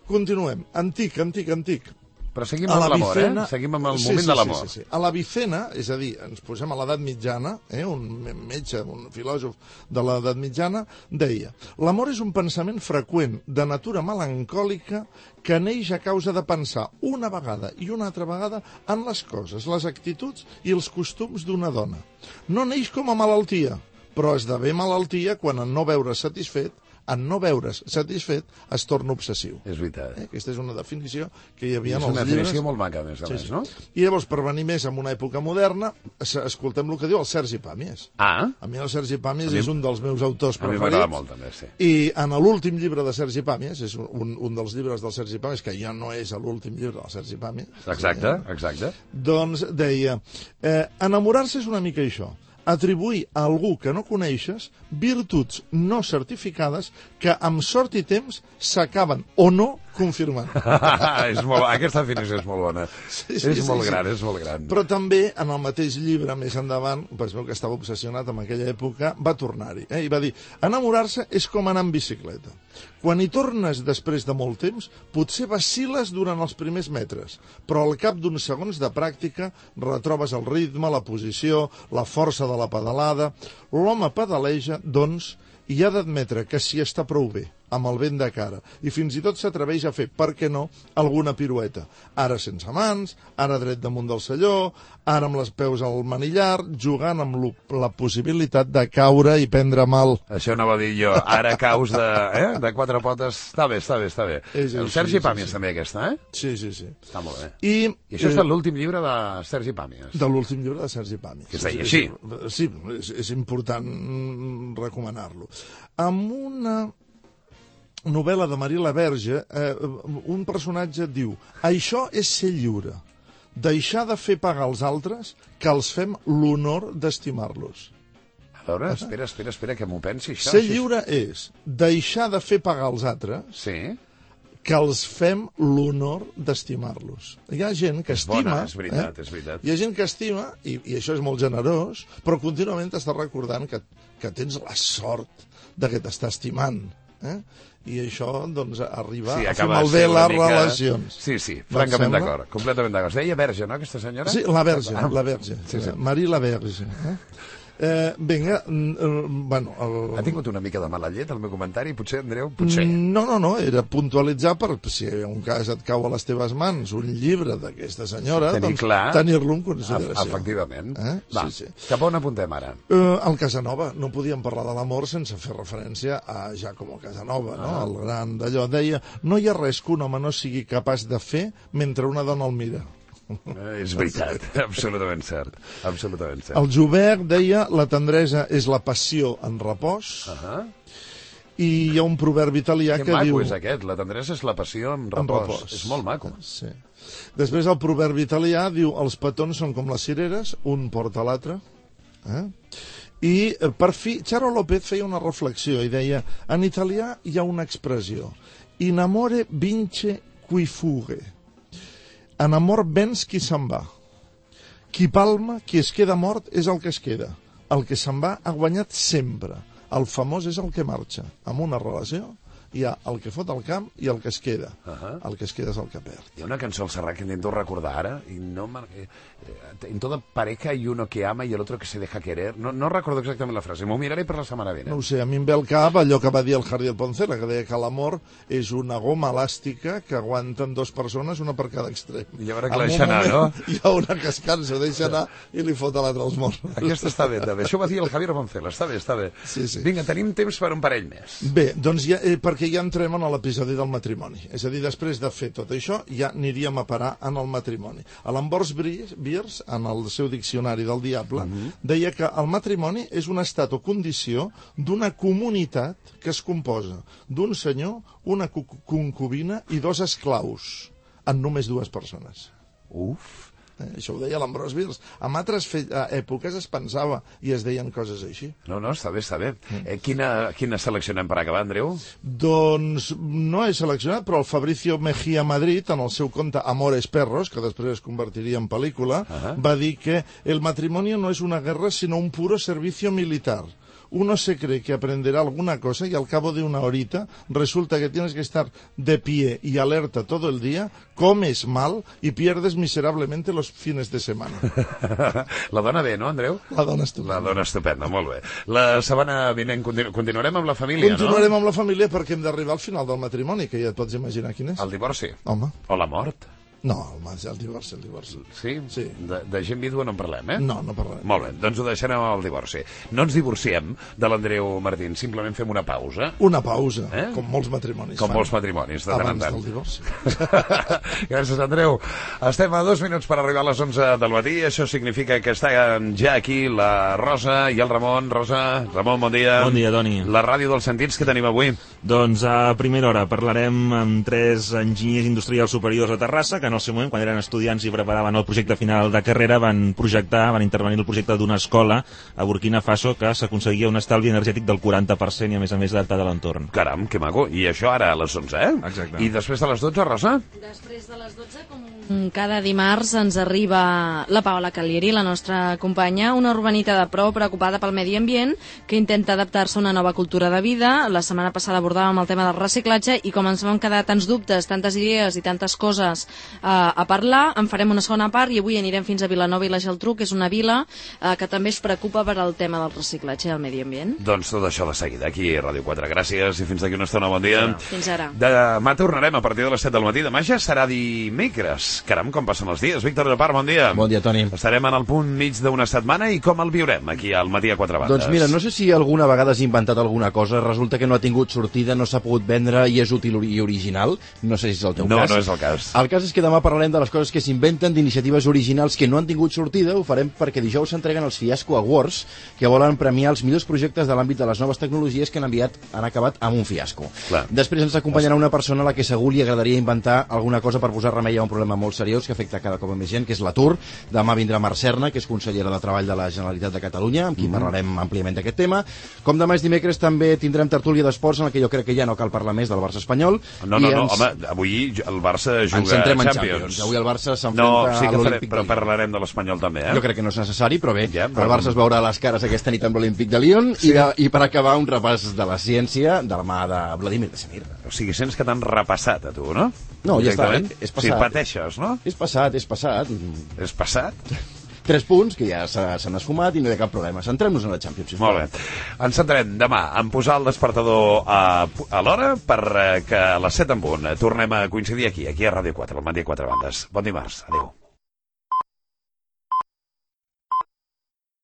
Continuem. Antic. Però seguim amb l'amor, Seguim amb el moment de l'amor. Sí. A l'Avicena, és a dir, ens posem a l'edat mitjana, un metge, un filòsof de l'edat mitjana, deia: l'amor és un pensament freqüent, de natura melancòlica, que neix a causa de pensar una vegada i una altra vegada en les coses, les actituds i els costums d'una dona. No neix com a malaltia, però esdevé malaltia quan en no veure's satisfet es torna obsessiu. És veritat. Aquesta és una definició que hi havia en els llibres. És una definició molt maca, a més, no? I llavors, per venir més en una època moderna, escoltem el que diu el Sergi Pàmies. A mi el Sergi Pàmies és un dels meus autors preferits. A mi m'agrada molt, també, sí. I en l'últim llibre de Sergi Pàmies, és un dels llibres del Sergi Pàmies, que ja no és l'últim llibre del Sergi Pàmies. Exacte. Doncs deia, enamorar-se és una mica això. Atribuir a algú que no coneixes virtuts no certificades que amb sort i temps s'acaben o no confirmant. Aquesta definició és molt bona. És molt gran. Però també, en el mateix llibre, més endavant, es veu que estava obsessionat en aquella època, va tornar-hi. I va dir, enamorar-se és com anar en bicicleta. Quan hi tornes després de molt temps, potser vacil·les durant els primers metres, però al cap d'uns segons de pràctica retrobes el ritme, la posició, la força de la pedalada. L'home pedaleja, doncs, i ha d'admetre que s'hi està prou bé, amb el vent de cara, i fins i tot s'atreveix a fer, per què no, alguna pirueta. Ara sense mans, ara dret damunt del selló, ara amb les peus al manillar, jugant amb la possibilitat de caure i prendre mal. Això no va dir jo, ara caus de quatre potes. Està bé. El Sergi Pàmies també, aquesta, Sí. Està molt bé. I això és l'últim llibre de Sergi Pàmies. De l'últim llibre de Sergi Pàmies. Que es deia així. Sí, és important recomanar-lo. Amb una novel·la de Marie Laberge, un personatge diu: això és ser lliure, deixar de fer pagar als altres que els fem l'honor d'estimar-los. A veure, espera, que m'ho pensi, això. Ser lliure és deixar de fer pagar als altres que els fem l'honor d'estimar-los. Hi ha gent que estima... És veritat. Hi ha gent que estima, i això és molt generós, però contínuament t'està recordant que tens la sort de que t'està estimant. I això, doncs, arriba a fer malbé les relacions. Sí, francament d'acord, completament d'acord. Es deia Verge, no, aquesta senyora? Sí, la Verge. Marie Laberge. Vinga, bueno... Ha tingut una mica de mala llet el meu comentari, potser, Andreu? Potser. No, era puntualitzar per, si un cas et cau a les teves mans un llibre d'aquesta senyora, doncs tenir-lo en consideració. Efectivament. Va, cap on apuntem ara? El Casanova. No podíem parlar de l'amor sense fer referència a Giacomo Casanova, no? El gran d'allò. Deia, no hi ha res que un home no sigui capaç de fer mentre una dona el mira. És veritat, absolutament cert. El Joubert deia, la tendresa és la passió en repòs, i hi ha un proverbi italià que diu... Que maco és aquest, la tendresa és la passió en repòs. És molt maco. Sí. Després el proverbi italià diu, els petons són com les cireres, un porta l'altre. I per fi, Charo López feia una reflexió i deia, en italià hi ha una expressió, in amore vince qui fugge. En amor vens qui se'n va. Qui palma, qui es queda mort, és el que es queda. El que se'n va ha guanyat sempre. El famós és el que marxa. En una relació hi ha el que fot al camp i el que es queda. El que es queda és el que perd. Hi ha una cançó al Serrat que intento recordar ara, i no en toda pareja hay uno que ama y el otro que se deja querer. No recordo exactament la frase, m'ho miraré per la setmana vinent. No ho sé, a mi em ve al cap allò que va dir el Jardiel Poncela, que deia que l'amor és una goma elàstica que aguanten dues persones, una per cada extrem. I llavors que la deixa anar, no? Hi ha una que es cansa, deixa anar i li fot a l'altre els morts. Aquesta està bé, també. Això ho va dir el Javier Poncela, està bé. Sí. Vinga, tenim temps per un parell més. Bé, doncs perquè ja entrem en l'episodi del matrimoni. És a dir, després de fer tot això, ja aniríem a parar en el matrimoni. L'Ambrose Bierce, en el seu diccionari del diable, deia que el matrimoni és un estat o condició d'una comunitat que es composa d'un senyor, una concubina i dos esclaus, en només dues persones. Això ho deia l'Ambrose Bierce. En altres èpoques es pensava i es deien coses així. No, està bé. Quina seleccionem per acabar, Andreu? Doncs no he seleccionat, però el Fabricio Mejía Madrid, en el seu conte Amores Perros, que després es convertiria en pel·lícula, va dir que el matrimonio no és una guerra, sinó un puro servicio militar. uno se cree que aprenderá alguna cosa y al cabo de una horita resulta que tienes que estar de pie y alerta todo el día, comes mal y pierdes miserablemente los fines de semana. La dona bé, no, Andreu? La dona estupenda. La dona estupenda, molt bé. La setmana vinent continuarem amb la família, Continuarem amb la família perquè hem d'arribar al final del matrimoni, que ja et pots imaginar quin és. El divorci? Home. O la mort? No, el divorci. Sí? Sí. De gent vídua no en parlem, eh? No parlem. Molt bé, doncs ho deixarem amb el divorci. No ens divorciem de l'Andreu Martín, simplement fem una pausa. Una pausa, com molts matrimonis com molts matrimonis, de tant en tant. Abans del divorci. Gràcies, Andreu. Estem a 2 minuts per arribar a les 11 del matí. Això significa que està ja aquí la Rosa i el Ramon. Rosa, Ramon, bon dia. Bon dia, Toni. La ràdio dels sentits que tenim avui. Doncs a primera hora parlarem amb 3 enginyers industrials superiors a Terrassa, que en el seu moment, quan eren estudiants i preparaven el projecte final de carrera, van intervenir el projecte d'una escola a Burkina Faso que s'aconseguia un estalvi energètic del 40% i a més adaptat a l'entorn. Caram, que maco. I això ara a les 11, eh? Exacte. I després de les 12, Rosa? Després de les 12, com cada dimarts, ens arriba la Paola Calieri, la nostra companya, una urbanita de pro preocupada pel medi ambient que intenta adaptar-se a una nova cultura de vida. La setmana passada abordàvem el tema del reciclatge i com ens van quedar tants dubtes, tantes idees i tantes coses a parlar, en farem una segona part i avui anirem fins a Vilanova i la Geltrú, que és una vila que també es preocupa per al tema del reciclatge i el medi ambient. Doncs tot això de seguida, aquí a Ràdio 4. Gràcies i fins d'aquí una estona, bon dia. Fins ara. Demà tornarem a partir de les 7 del matí. Demà ja serà dimecres. Caram, com passen els dies. Víctor Llopart, bon dia. Bon dia, Toni. Estarem en el punt mig d'una setmana i com el viurem aquí al matí a 4 bandes? Doncs mira, no sé si alguna vegada has inventat alguna cosa, resulta que no ha tingut sortida, no s'ha pogut vendre i és útil i original. No sé si és el teu cas. No és el cas. El cas és que demà parlarem de les coses que s'inventen, d'iniciatives originals que no han tingut sortida. Ho farem perquè dijous s'entreguen els Fiasco Awards, que volen premiar els millors projectes de l'àmbit de les noves tecnologies que han acabat amb un fiasco. Clar. Després ens acompanyarà una persona a la que segur li agradaria inventar alguna cosa per posar remei a un problema molt seriós que afecta cada cop més gent, que és l'atur. Demà vindrà Mar Serna, que és consellera de Treball de la Generalitat de Catalunya, amb qui parlarem àmpliament d'aquest tema. Com demà és dimecres, també tindrem tertúlia d'esports, en la que jo crec que ja no cal parlar més del Barça espanyol. No, home, avui el Barça juga a Champions. Avui el Barça s'enfronta a l'Olímpic de Lyon. Però parlarem de l'Espanyol també, eh? Jo crec que no és necessari, però bé, ja, el Barça es veurà les cares aquesta nit amb l'Olímpic de Lyon i per acabar un repàs de la ciència de la mà de Vladimir Semir. O sigui, sents que t'han repassat a tu, no? No, ja està, és passat. Sí, pateixes, no? És passat. És passat? 3 punts, que ja s'han esfumat i no hi ha cap problema. Centrem-nos en la Champions. Molt bé. Ens centrem demà en posar el despertador a l'hora perquè a les 7 en punt tornem a coincidir aquí a Ràdio 4, al matí a 4 bandes. Bon dimarts. Adéu.